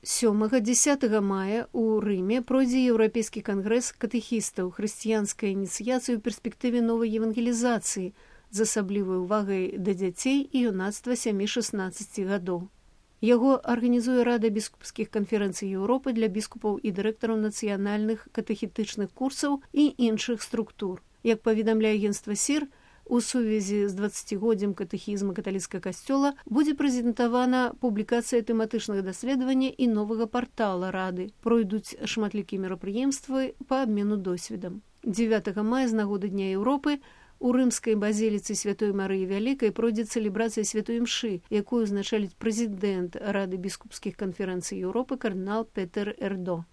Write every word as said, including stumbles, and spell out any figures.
сёмага-дзесятага мая ў Рыме пройдзе Еўрапейскі кангрэс катэхістаў хрысціянскай ініцыяцыі ў перспектыве новай евангелізацыі з асаблівай увагай да дзяцей і юнацтва сямі-шаснаццаці гадоў. Яго арганізуе Рада біскупскіх канферэнцый Еўропы для біскупаў і дырэктараў нацыянальных катэхетычных курсаў і іншых структур. Як паведамляе агенцтва СІР, у сувязі з дваццацігоддзям катэхізма каталіцкага касцёла будзе прэзентавана публікацыя тэматычных даследавання і новага партала Рады. Пройдуць шматлікія мерапрыемствы па абмену досведам. дзевятага мая з нагоды Дня Еўропы у рымскай базіліцы Святой Марыі Вялікай пройдзе цэлебрацыя святой імшы, якую узначаліць прэзідэнт Рады біскупскіх канферэнцый Еўропы кардынал Петер Эрдо.